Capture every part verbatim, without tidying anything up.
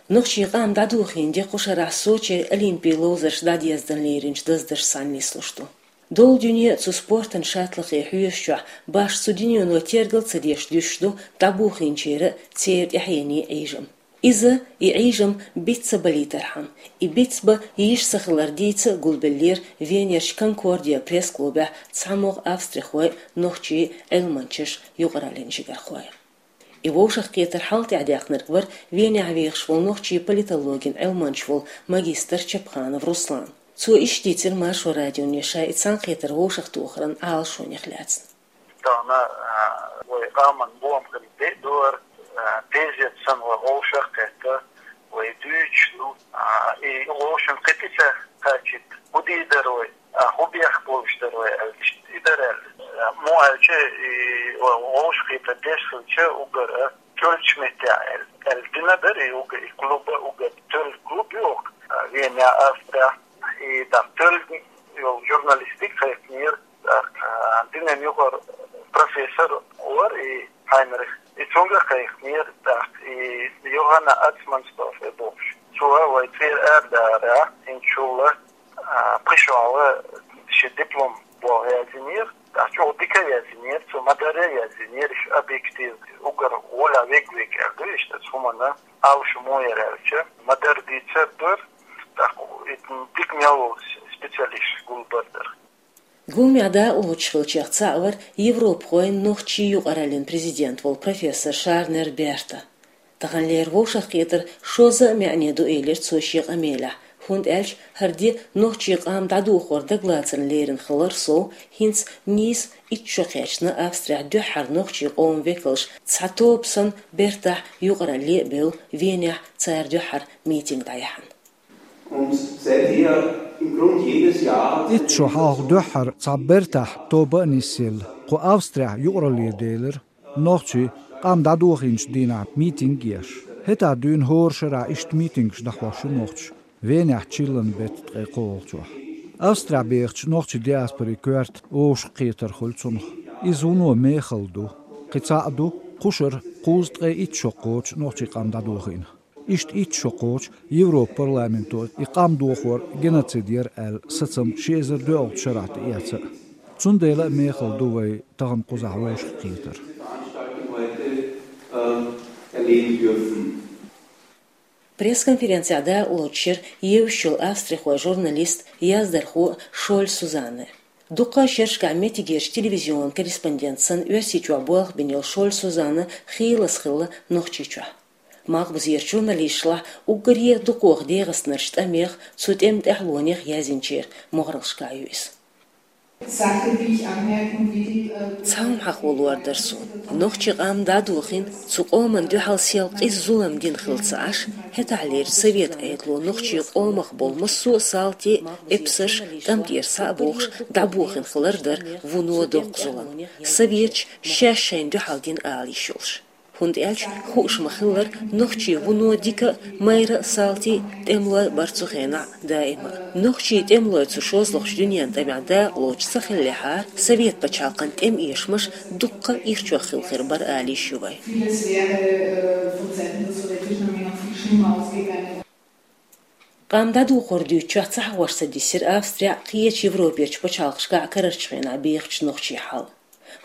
Нохчийн къам дӀадохийна де кху шарахь Сочера Олимпийн ловзарш дӀадездана леринчу даздаршца цхьаьна нислуш ду. Долу дуьне цу спортан шаттлахе хьоьжучохь, башха цу дуьнено тергал ца деш дуьсуш ду дӀабохийначеран, церан тӀаьхьенийн Ӏийжам. Иза, и Ӏийжам биц ца балийтархьама, и биц бан йиш ца хилар дийца гулбеллера Венерчу Конкордия пресс-клубехь цхьамогӀа австрихой, нохчий, Ӏилманчаш, юкъараллин жигархой. И вовшахкхетар хьал тӀехь даьккхинарг вара Венехь вехаш волу нохчийн политологин Ӏилманча волу магистр Чапханов Руслан. Цо иштта дийцира Маршо радионе ша и цхьаьнакхетар вовшахтохаран Ӏалашонех лаьцна. Тахана, а, вай къаман бохам хилла де а дора, а, тезет санна вай вовшах а кхетта, вай дуьйцуш ду, а, и вовшан кхетиса кхачит, хӀун дийр дара вай, а, хӀун бехк болуш дара вай аьлла, иштта и дара аьлла. А, муха аьлча, и вовшахкхетар деш хилча, уггар а, кхоьллинчу меттехь аьлла, аьлла дина дара и уггар, и клуба уггар, тоьлла клуб ю оха, а, Венехь, Австрехь, и тӀаккха тоьлла йолу журналистиг кхайкхинера, тӀаккха, а, динан юкъара профессор вара и Хайнрих. И цуьнга кхайкхинера, тӀаккха и Йоханна Ацмансдорф бохуш. Цо вай цӀера арадаьлча, хӀинцачул а, пхи шо а шен диплом боху яздинера, тӀаккха чӀогӀа дика яздинера, цо ма-дарра яздинера, иштта объективно, уггар гӀоле вега-вега аьлла ду иштта цу хӀуманна, Ӏалашо муха яра аьлча, ма-дарра дийцар дара, тӀаккха и дика мел волу специалист гулбар дара. Гуламехь дакъалоцуш хиллачех цхьаъ вара европахойн нохчийн юкъараллин президент волу профессор Шарнер Берта. Таханлера вовшахкхетар шозза а маьӀне ду, элира цо шен къамелехь, хӀунда аьлча хӀара де нохчийн къам дӀадохор дагалацарна лерина хилар сов, хӀинца нийса итт шо кхаьчна Австрехь дуьххьара нохчийн къоман векалш цхьа тоба санна Бертахь юкъаралле а бевлла, Венехь цара дуьххьара митинг дӀаяьхьна. Итт шо хьалха дуьххьара цхьа Бертахь тоба а нисъелла, кху Австрехь юкъаралле делира нохчий къам дӀадохийначу дийнахь митинг еш. ХӀетахь дуьйна хӀора шарахь иштта митингаш дӀахьош ю нохчаша, Венехь чиллан беттан ткъе кхоалгӀачохь. Австрехь бехачу нохчийн диаспорин коьрта вовшахкхетар хуьлу цунах. Иза вуно мехала ду. Кхин цхьаъ ду, кхушара кхузткъе итт шо кхочу нохчийн къам дӀадохийна. Иштта итт шо кхочу Европан парламенто и къам дохор геноцид яра аьлла сацам ши эзар доьалгӀачу шарахь тӀеэца а. Цундела а мехала ду вай тахана кхузахь вовшахкхетар. Пресс-конференцехь дакъалоцуш яра евзаш йолу австрихойн журналист, яздархо Шоль Сузанна. Дуккха а шерашкахь меттигерчу телевизионан корреспондент санна Оьрсийчохь болх бина йолу Шоль Сузанна хийлаза хилла Нохчийчохь. Малхбузерчу журналисташлахь уггаре а дукхох дегӀастанарчу тӀамех, цу тӀеман тӀаьхьалонех язйинчеран могӀараллашкахь ю иза. Цхьа хӀума хьахо лорадара суна. Нохчийн къам дӀадохийна, цу къоман дуьхьал сел къиза зулам дина хилла ца Ӏаш, хӀетахьлерчу совет Ӏедало нохчийн къомах болу массо а салти, эпсарш, тӀам тӀера схьа а бохуш, дӀабохийна хилар дара вуно доккха зулам. Советаша шаьш шайна дуьхьал дина ала йиш йолуш. ХӀунда аьлча хууш ма-хиллара, нохчий вуно дика а, майра а салти а, тӀемалой а бара цу хенахь даима а. Нохчийн тӀемалой цу шозлагӀчу дуьненан тӀамехь дакъалоцуш ца хиллехьара, совет пачхьалкхан тӀеман эшамаш дуккха а ирчох хилла хир бара ала йиш ю вайн. Vieles wäre, äh, vor Zeiten der sowjetischen Armee noch viel schlimmer ausgegangen. Къам дӀадохор дуьйцучохь цхьа хьехош ца дисира Австрехь а, кхечу Европерчу пачхьалкхашкахь а карарчу хенахь бехачу нохчийн хьал.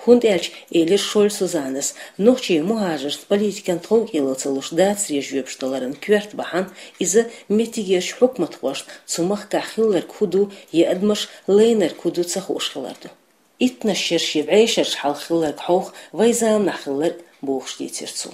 ХӀунда аьлча, элира Шоль Сузаннас, нохчийн мухӀажаршна политикан тховкӀело ца луш дацаре жоьпаш даларан коьрта бахьана иза меттигерчу хьукматхошна цу махкахь хилларг хӀун ду я адамаш лайнарг хӀун ду ца хууш хилар ду. Иттаннаш шераш я бӀешераш хьалха хилларг хьовха вайн заманахь хилларг бохуш дийцира цо.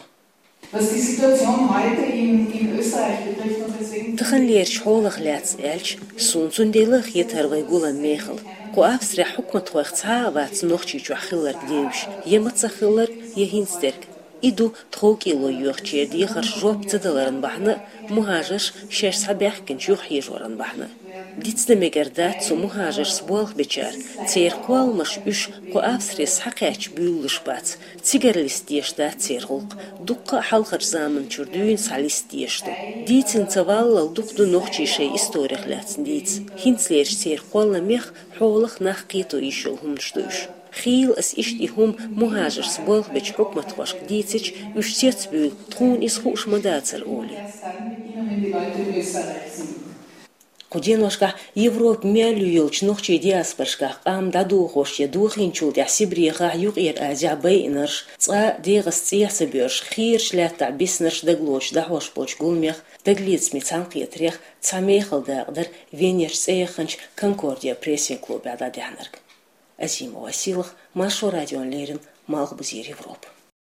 Was die Situation heute in, in Österreich betrifft, und deswegen Таханлерчу хьолах лаьцна аьлча, суна цундела а хета хӀара вайн гулам мехала. Кху Австрехь хьукматхойх цхьа а вац Нохчийчохь хилларг девзаш, я мацах хилларг, я хӀинца дерг. И ду тховкӀело йоьхучеран дехаршна жоп ца даларан бахьана а, мухӀажарш шаьш схьабаьхкинчу юхахьежоран бахьана а. Дицдан мегар дац цу мухӀажаршца болх бечара, церан кхолламаш уьш кху Австрера схьакхаьчча буьйлалуш бац, цигара листа дезаш дац церан гӀуллакх, дуккха а хьалхарчу заманчуьра дуьйна схьа листа дезаш ду. Дийцина ца валлал дукха ду нохчийн шайн историх лаьцна дийца. ХӀинцалерчу церан кхолламех хьолах нах кхето йиш йолу хӀуманаш ду уьш. Хийла ас иштта и хӀума мухӀажаршца болх бечу хьукматхошка дийцича, уьш цецбуьйлу, тхуна иза хууш ма дацара олий. Кху деношкахь Европа мел ю йолчу нохчийн диаспорашкахь къам дӀадохош я дохийначул тӀаьхьа Сибрехахь, Юккъера Азехь байинарш, цкъа а дегӀаца цӀехьа ца боьрзуш, хийрачу лаьттахь биснарш дагалоцуш дӀахьош болчу гуламех, дагалецамийн цхьаьнакхетарех цхьа мехала дакъа дара Венерчу цӀе яханчу «Конкордия» прессинг-клубехь дӀадаьхьнарг. Азимова Силах, Маршо радиона леррина, Малхбузера Европа.